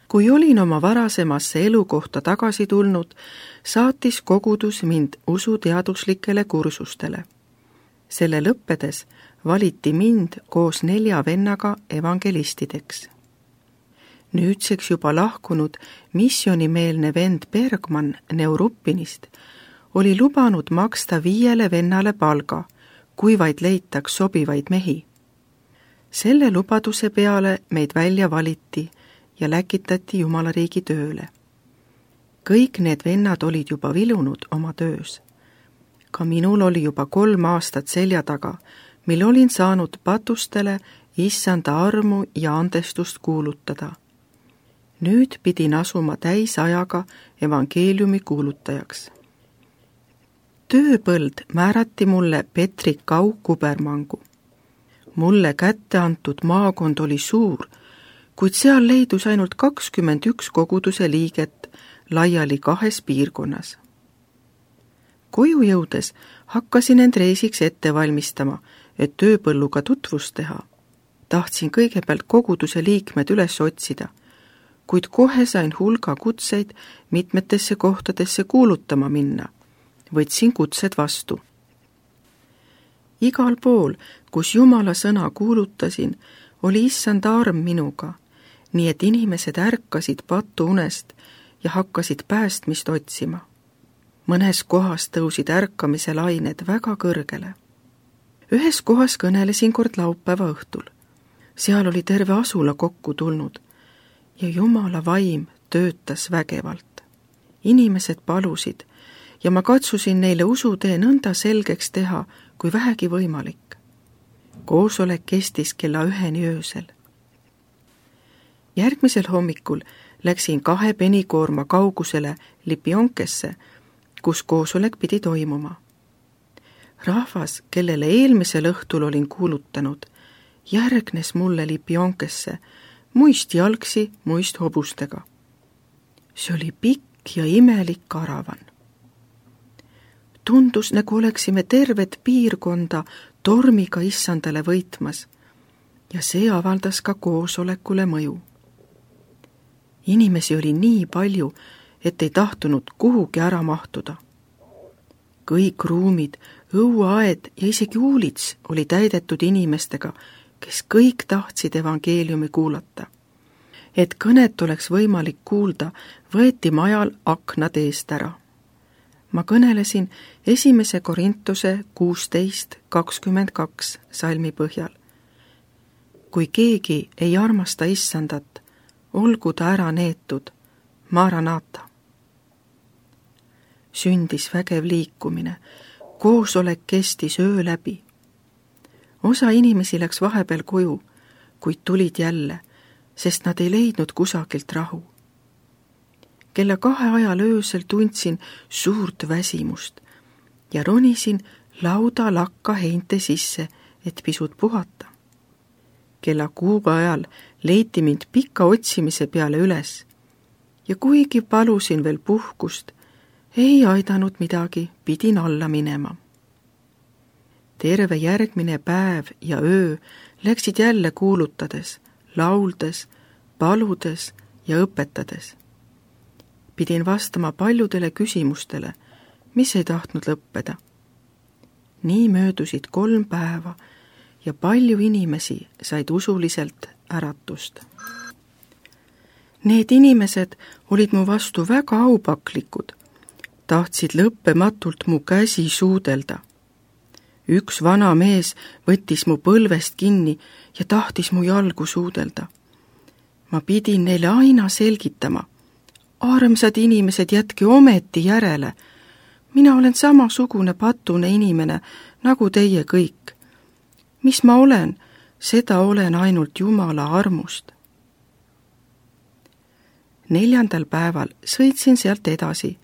Kui olin oma varasemasse elukohta tagasi tulnud, saatis kogudus mind usuteaduslikele kursustele. Selle lõppedes valiti mind koos 4 vennaga evangelistideks. Nüüdseks juba lahkunud missioonimeelne vend Bergman Neuruppinist oli lubanud maksta 5 vennale palga, kui vaid leitaks sobivaid mehi. Selle lubaduse peale meid välja valiti ja läkitati Jumalariigi tööle. Kõik need vennad olid juba vilunud oma töös. Ka minul oli juba 3 aastat selja taga, mil olin saanud patustele Issanda armu ja andestust kuulutada. Nüüd pidin asuma täisajaga evangeeliumi kuulutajaks. Tööpõld määrati mulle Petri Kau-Kubermangu. Mulle kätte antud maakond oli suur, kuid seal leidus ainult 21 koguduse liiget laiali 2 piirkonnas. Koju jõudes hakkasin end reisiks ette valmistama, et tööpõlluga tutvust teha. Tahtsin kõigepealt koguduse liikmed üles otsida, kuid kohe sain hulga kutseid mitmetesse kohtadesse kuulutama minna. Võtsin kutsed vastu. Igal pool, kus Jumala sõna kuulutasin, oli Issanda arm minuga, nii et inimesed ärkasid patuunest ja hakkasid päästmist otsima. Mõnes kohas tõusid ärkamise lained väga kõrgele. Ühes kohas kõnelesin kord laupäeva õhtul. Seal oli terve asula kokku tulnud ja Jumala vaim töötas vägevalt. Inimesed palusid ja ma katsusin neile usutee nõnda selgeks teha, kui vähegi võimalik. Koosolek kestis kella 1 öösel. Järgmisel hommikul läksin 2 penikoorma kaugusele Lipionkesse, kus koosolek pidi toimuma. Rahvas, kellele eelmisel õhtul olin kuulutanud, järgnes mulle Lipionkesse, muist jalgsi, muist hobustega. See oli pikk ja imelik karavan. Tundus, nagu oleksime tervet piirkonda tormiga Issandale võitmas ja see avaldas ka koosolekule mõju. Inimesi oli nii palju, et ei tahtunud kuhugi ära mahtuda. Kõik ruumid, õueaed ja isegi uulits oli täidetud inimestega, kes kõik tahtsid evangeeliumi kuulata. Et kõnet oleks võimalik kuulda, võeti majal aknad eest ära. Ma kõnelesin 1. Korintuse 16:22 salmi põhjal. Kui keegi ei armasta Issandat, olgu ta ära neetud, Maranata. Sündis vägev liikumine, koosolek kestis öö läbi. Osa inimesi läks vahepeal koju, kuid tulid jälle, sest nad ei leidnud kusagilt rahu. Kella 2 ajal öösel tundsin suurt väsimust ja ronisin lauda lakka heinte sisse, et pisut puhata. Kella 6 ajal leiti mind pika otsimise peale üles ja kuigi palusin veel puhkust, ei aidanud midagi, pidin alla minema. Terve järgmine päev ja öö läksid jälle kuulutades, lauldes, paludes ja õpetades. Pidin vastama paljudele küsimustele, mis ei tahtnud lõppeda. Nii möödusid 3 päeva ja palju inimesi said usuliselt äratust. Need inimesed olid mu vastu väga aupaklikud, tahtsid lõppematult mu käsi suudelda. Üks vana mees võttis mu põlvest kinni ja tahtis mu jalgu suudelda. Ma pidin neile aina selgitama. Armsad inimesed, jätke ometi järele. Mina olen samasugune patune inimene, nagu teie kõik. Mis ma olen? Seda olen ainult Jumala armust. 4. päeval sõitsin sealt edasi,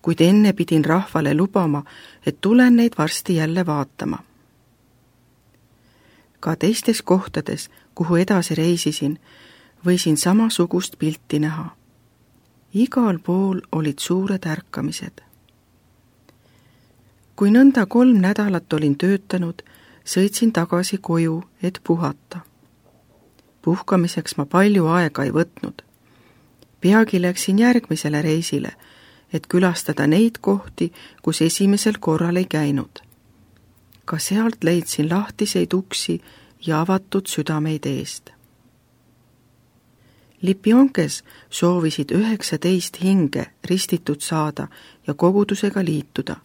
kuid enne pidin rahvale lubama, et tulen neid varsti jälle vaatama. Ka teistes kohtades, kuhu edasi reisisin, võisin samasugust pilti näha. Igal pool olid suured ärkamised. Kui nõnda 3 nädalat olin töötanud, sõitsin tagasi koju, et puhata. Puhkamiseks ma palju aega ei võtnud. Peagi läksin järgmisele reisile, et külastada neid kohti, kus esimesel korral ei käinud. Ka sealt leidsin lahtiseid uksi ja avatud südameid eest. Lipionkes soovisid 19 hinge ristitud saada ja kogudusega liituda.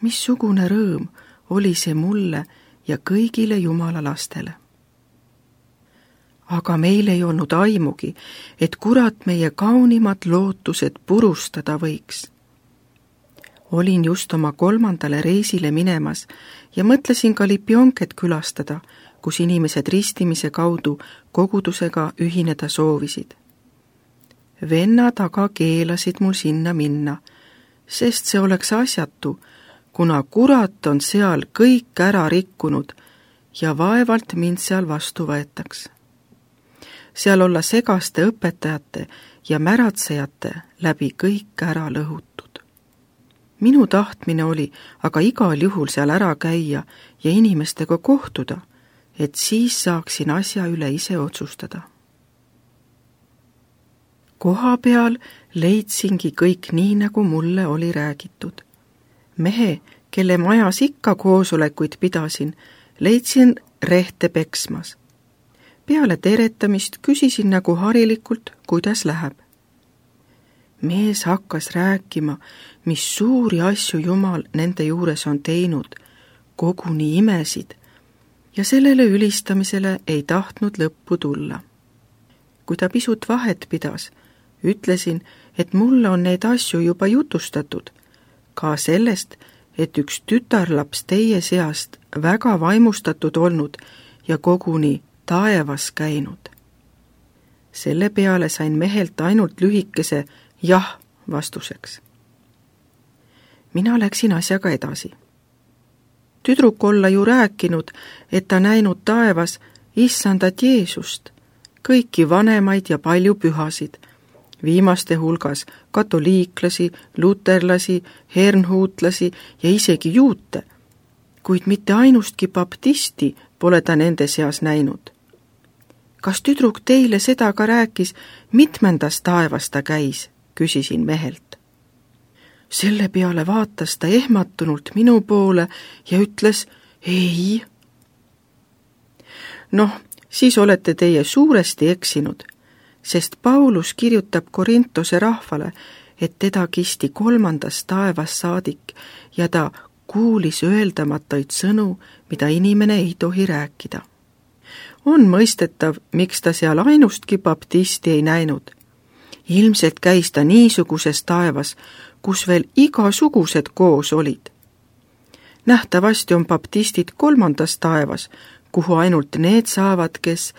Missugune rõõm oli see mulle ja kõigile Jumala lastele. Aga meil ei olnud aimugi, et kurat meie kaunimad lootused purustada võiks. Olin just oma 3. reisile minemas ja mõtlesin ka Lipionket külastada, kus inimesed ristimise kaudu kogudusega ühineda soovisid. Vennad aga keelasid mul sinna minna, sest see oleks asjatu, kuna kurat on seal kõik ära rikkunud ja vaevalt mind seal vastu võetaks. Seal olla segaste õpetajate ja märatsejate läbi kõik ära lõhutud. Minu tahtmine oli aga igal juhul seal ära käia ja inimestega kohtuda, et siis saaksin asja üle ise otsustada. Koha peal leidsingi kõik nii, nagu mulle oli räägitud. Mehe, kelle majas ikka koosolekuid pidasin, leidsin rehte peksmas. Peale teretamist küsisin nagu harilikult, kuidas läheb. Mees hakkas rääkima, mis suuri asju Jumal nende juures on teinud, koguni imesid, ja sellele ülistamisele ei tahtnud lõppu tulla. Kui ta pisut vahet pidas, ütlesin, et mulle on neid asju juba jutustatud, ka sellest, et üks tütarlaps teie seast väga vaimustatud olnud ja koguni taevas käinud. Selle peale sain mehelt ainult lühikese jah vastuseks. Mina läksin asjaga edasi. Tüdruk olla ju rääkinud, et ta näinud taevas issandat Jeesust, kõiki vanemaid ja palju pühasid, viimaste hulgas katoliiklasi, luterlasi, hernhuutlasi ja isegi juute, kuid mitte ainustki baptisti pole ta nende seas näinud. Kas tüdruk teile seda ka rääkis, mitmendas taevas ta käis, küsisin mehelt. Selle peale vaatas ta ehmatunult minu poole ja ütles ei. Noh, siis olete teie suuresti eksinud, sest Paulus kirjutab Korintose rahvale, et teda kisti 3. taevas saadik ja ta kuulis öeldamatuid sõnu, mida inimene ei tohi rääkida. On mõistetav, miks ta seal ainustki baptisti ei näinud. Ilmselt käis ta niisuguses taevas, kus veel igasugused koos olid. Nähtavasti on baptistid 3. taevas, kuhu ainult need saavad, kes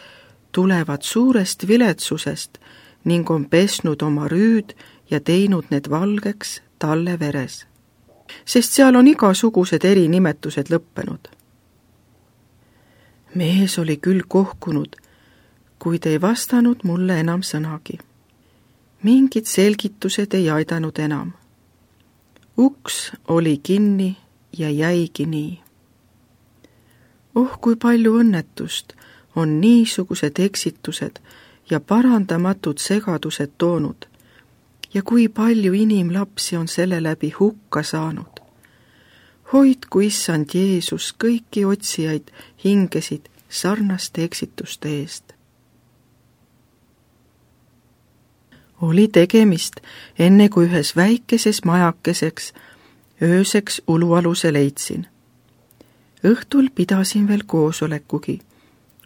tulevad suurest viletsusest ning on pesnud oma rüüd ja teinud need valgeks talle veres. Sest seal on igasugused erinimetused lõppenud. Mees oli küll kohkunud, kuid ei vastanud mulle enam sõnagi. Mingid selgitused ei aidanud enam. Uks oli kinni ja jäigi nii. Kui palju õnnetust on niisugused eksitused ja parandamatud segadused toonud ja kui palju inimlapsi on selle läbi hukka saanud. Hoidku issand Jeesus kõiki otsijaid hingesid sarnaste eksituste eest. Oli tegemist enne kui ühes väikeses majakeseks ööseks ulualuse leidsin. Õhtul pidasin veel koosolekugi,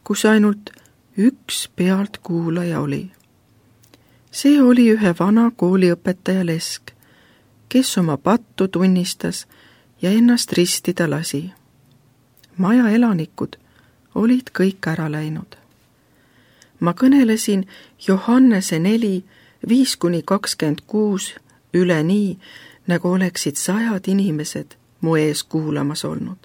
kus ainult üks pealtkuulaja oli. See oli ühe vana kooliõpetaja lesk, kes oma pattu tunnistas ja ennast ristida lasi. Maja elanikud olid kõik ära läinud. Ma kõnelesin Johannese 4, 5-26 üle nii, nagu oleksid 100 inimesed mu ees kuulamas olnud.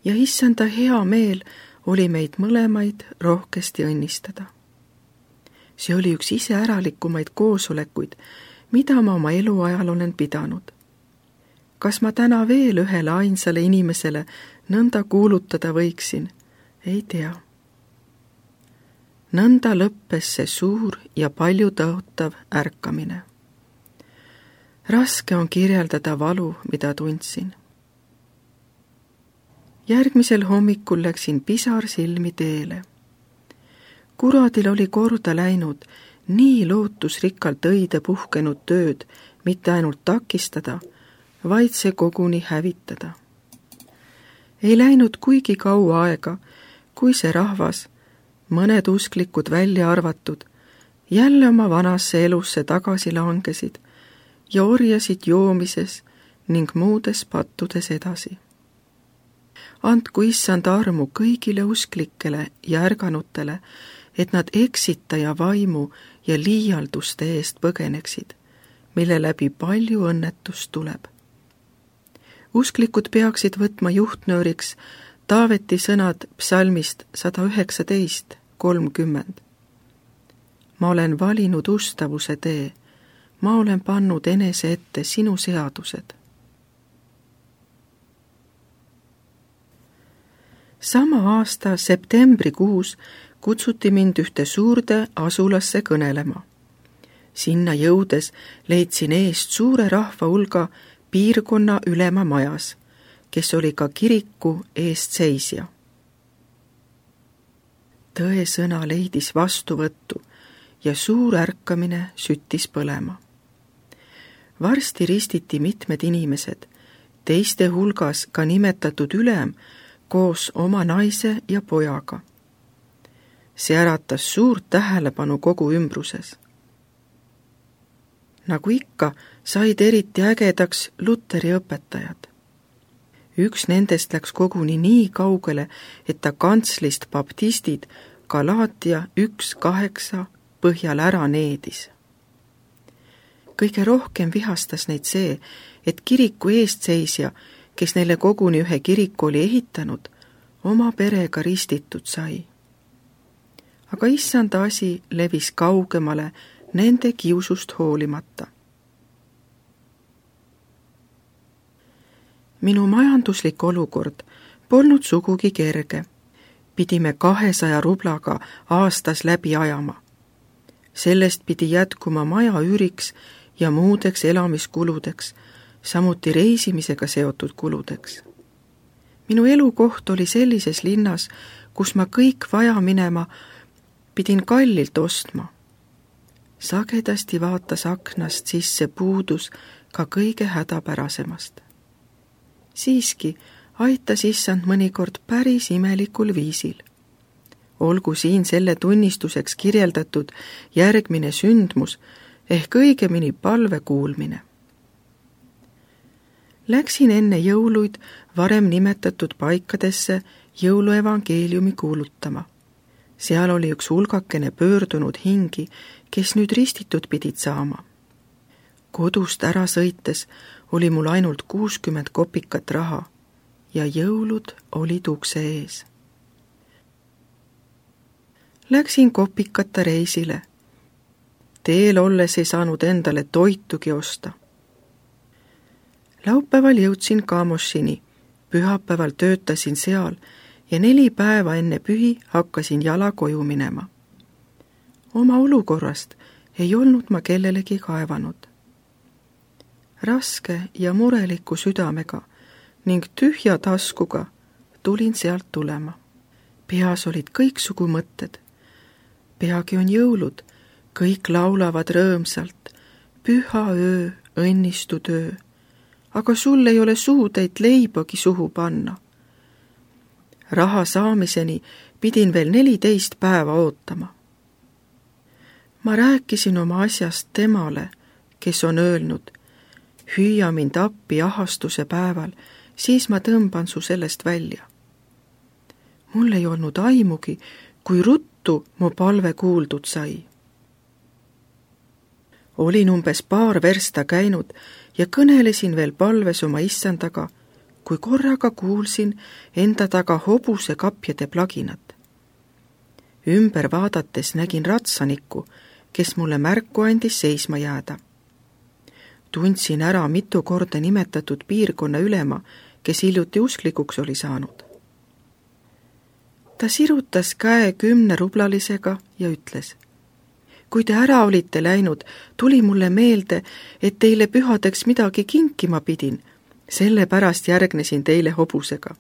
Ja issanda hea meel oli meid mõlemaid rohkesti õnnistada. See oli üks iseäralikumaid koosolekuid, mida ma oma eluajal olen pidanud. Kas ma täna veel ühele ainsale inimesele nõnda kuulutada võiksin? Ei tea. nõnda lõppes see suur ja palju tõotav ärkamine. Raske on kirjeldada valu, mida tundsin. Järgmisel hommikul läksin pisar silmi teele. Kuradil oli korda läinud nii lootusrikkalt õide puhkenud tööd mitte ainult takistada, vaid see koguni hävitada. Ei läinud kuigi kaua aega, kui see rahvas, mõned usklikud välja arvatud, jälle oma vanasse elusse tagasi langesid ja orjasid joomises ning muudes pattudes edasi. Andku issand armu kõigile usklikele ja ärganutele, et nad eksitaja vaimu ja liialduste eest põgeneksid, mille läbi palju õnnetust tuleb. Usklikud peaksid võtma juhtnööriks Taaveti sõnad psalmist 119:30. Ma olen valinud ustavuse tee, ma olen pannud enese ette sinu seadused. Sama aasta septembrikuus kutsuti mind ühte suurde asulasse kõnelema. Sinna jõudes leidsin eest suure rahva hulga piirkonna ülema majas, kes oli ka kiriku eestseisja. Tõesõna leidis vastuvõttu ja suur ärkamine süttis põlema. Varsti ristiti mitmed inimesed, teiste hulgas ka nimetatud ülem koos oma naise ja pojaga. See äratas suurt tähelepanu kogu ümbruses. Nagu ikka, said eriti ägedaks Luteri õpetajad. Üks nendest läks koguni nii kaugele, et ta kantslist baptistid Galaatia 1:8 põhjal ära needis. Kõige rohkem vihastas neid see, et kiriku eestseisja, kes neile koguni ühe kiriku oli ehitanud, oma perega ristitud sai. Aga issanda asi levis kaugemale nende kiusust hoolimata. Minu majanduslik olukord polnud sugugi kerge. Pidime 200 rublaga aastas läbi ajama. Sellest pidi jätkuma maja üüriks ja muudeks elamiskuludeks, samuti reisimisega seotud kuludeks. Minu elukoht oli sellises linnas, kus ma kõik vaja minema pidin kallilt ostma. Sagedasti vaatas aknast sisse puudus ka kõige hädapärasemast. Siiski aitas issand mõnikord päris imelikul viisil. Olgu siin selle tunnistuseks kirjeldatud järgmine sündmus ehk õigemini palve kuulmine. Läksin enne jõuluid varem nimetatud paikadesse jõuluevangeeliumi kuulutama. Seal oli üks hulgakene pöördunud hingi, kes nüüd ristitud pidid saama. Kodust ära sõites oli mul ainult 60 kopikat raha ja jõulud olid ukse ees. Läksin kopikata reisile. Teel olles ei saanud endale toitugi osta. Laupäeval jõudsin Kamošini, pühapäeval töötasin seal ja 4 päeva enne pühi hakkasin jala koju minema. Oma olukorrast ei olnud ma kellelegi kaevanud. Raske ja mureliku südamega ning tühja taskuga tulin sealt tulema. Peas olid kõiksugu mõtted. Peagi on jõulud, kõik laulavad rõõmsalt, püha öö, õnnistu töö, aga sul ei ole suudeid leibagi suhu panna. Raha saamiseni pidin veel 14 päeva ootama. Ma rääkisin oma asjast temale, kes on öelnud, hüüa mind appi ahastuse päeval, siis ma tõmban su sellest välja. Mul ei olnud aimugi, kui ruttu mu palve kuuldud sai. Olin umbes paar versta käinud ja kõnelesin veel palves oma issandaga, kui korraga kuulsin enda taga hobuse kapjade plaginat. Ümber vaadates nägin ratsanikku, kes mulle märku andis seisma jääda. Tundsin ära mitu korda nimetatud piirkonna ülema, kes hiljuti usklikuks oli saanud. ta sirutas käe 10-rublalisega ja ütles: kui te ära olite läinud, tuli mulle meelde, et teile pühadeks midagi kinkima pidin, sellepärast järgnesin teile hobusega.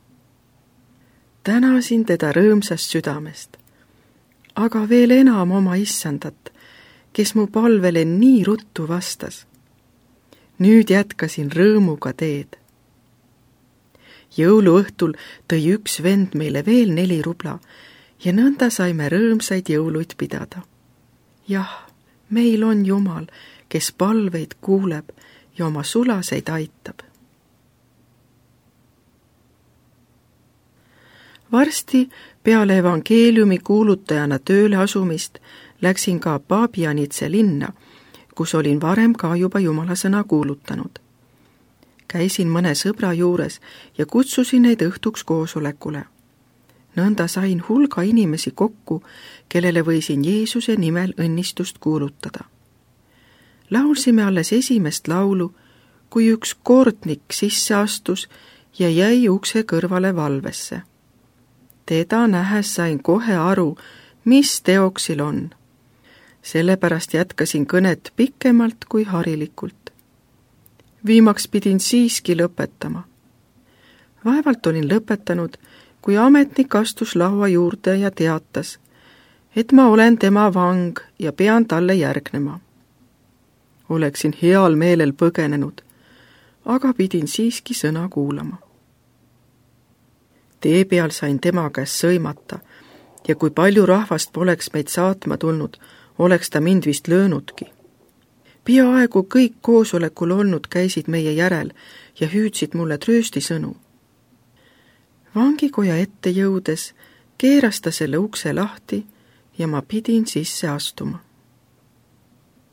Tänasin teda rõõmsast südamest, aga veel enam oma issandat, kes mu palvele nii ruttu vastas. Nüüd jätkasin rõõmuga teed. Jõuluõhtul tõi üks vend meile veel 4 rubla ja nõnda saime rõõmsaid jõuluid pidada. Jah, meil on Jumal, kes palveid kuuleb ja oma sulaseid aitab. Varsti peale evangeeliumi kuulutajana tööle asumist läksin ka Pabianitse linna, kus olin varem ka juba Jumala sõna kuulutanud. Käisin mõne sõbra juures ja kutsusin neid õhtuks koosolekule. Nõnda sain hulga inimesi kokku, kellele võisin Jeesuse nimel õnnistust kuulutada. Laulsime alles esimest laulu, kui üks kordnik sisse astus ja jäi ukse kõrvale valvesse. Teda nähes sain kohe aru, mis teoksil on. Sellepärast jätkasin kõnet pikemalt kui harilikult. Viimaks pidin siiski lõpetama. Vaevalt olin lõpetanud, kui ametnik astus laua juurde ja teatas, et ma olen tema vang ja pean talle järgnema. Oleksin heal meelel põgenenud, aga pidin siiski sõna kuulama. Tee peal sain tema käest sõimata ja kui palju rahvast poleks meid saatma tulnud, oleks ta mind vist löönudki. Peaaegu kõik koosolekul olnud käisid meie järel ja hüüdsid mulle trööstisõnu. Vangikoja ette jõudes keeras ta selle ukse lahti ja ma pidin sisse astuma.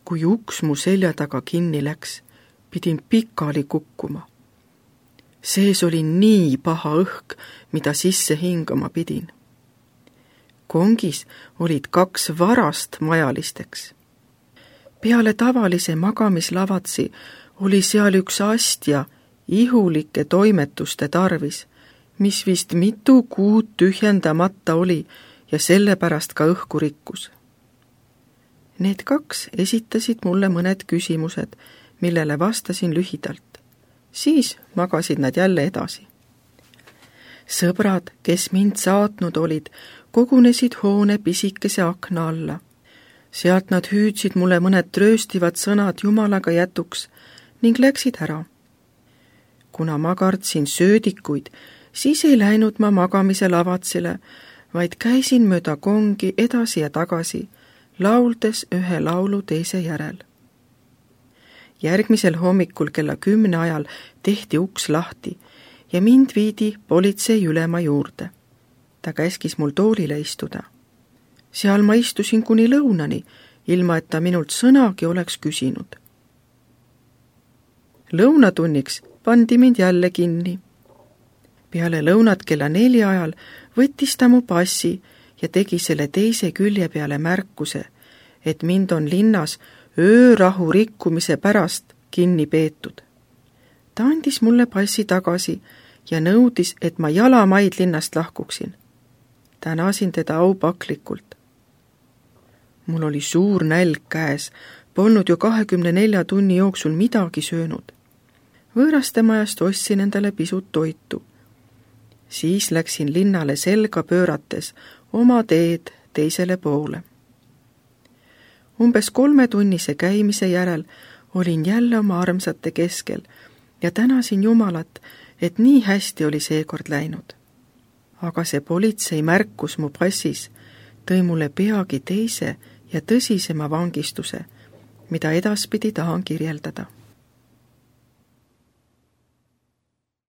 Kui uks mu selja taga kinni läks, pidin pikali kukkuma. Sees oli nii paha õhk, mida sisse hingama pidin. Kongis olid 2 varast majalisteks. Peale tavalise magamislavatsi oli seal üks astja ihulike toimetuste tarvis, mis vist mitu kuud tühjendamata oli ja sellepärast ka õhku rikkus. Need 2 esitasid mulle mõned küsimused, millele vastasin lühidalt. Siis magasid nad jälle edasi. Sõbrad, kes mind saatnud olid, kogunesid hoone pisikese akna alla. Sealt nad hüüdsid mulle mõned trööstivad sõnad Jumalaga jätuks ning läksid ära. Kuna ma kartsin söödikuid, siis ei läinud ma magamise lavatsile, vaid käisin mööda kongi edasi ja tagasi, lauldes ühe laulu teise järel. Järgmisel hommikul kella 10 ajal tehti uks lahti ja mind viidi politsei ülema juurde. Ta käskis mul toolile istuda. Seal ma istusin kuni lõunani, ilma et ta minult sõnagi oleks küsinud. Lõunatunniks pandi mind jälle kinni. Peale lõunat kella 4 ajal võttis ta mu passi ja tegi selle teise külje peale märkuse, et mind on linnas öörahu rikkumise pärast kinni peetud. Ta andis mulle passi tagasi ja nõudis, et ma jalamaid linnast lahkuksin. Tänasin teda aupaklikult. Mul oli suur nälg käes, polnud ju 24 tunni jooksul midagi söönud. Võõraste majast ostsin endale pisut toitu. Siis läksin linnale selga pöörates oma teed teisele poole. Umbes 3-tunnise käimise järel olin jälle oma armsate keskel ja tänasin Jumalat, et nii hästi oli seekord läinud. Aga see politsei märkus mu passis tõi mulle peagi teise ja tõsisema vangistuse, mida edaspidi tahan kirjeldada.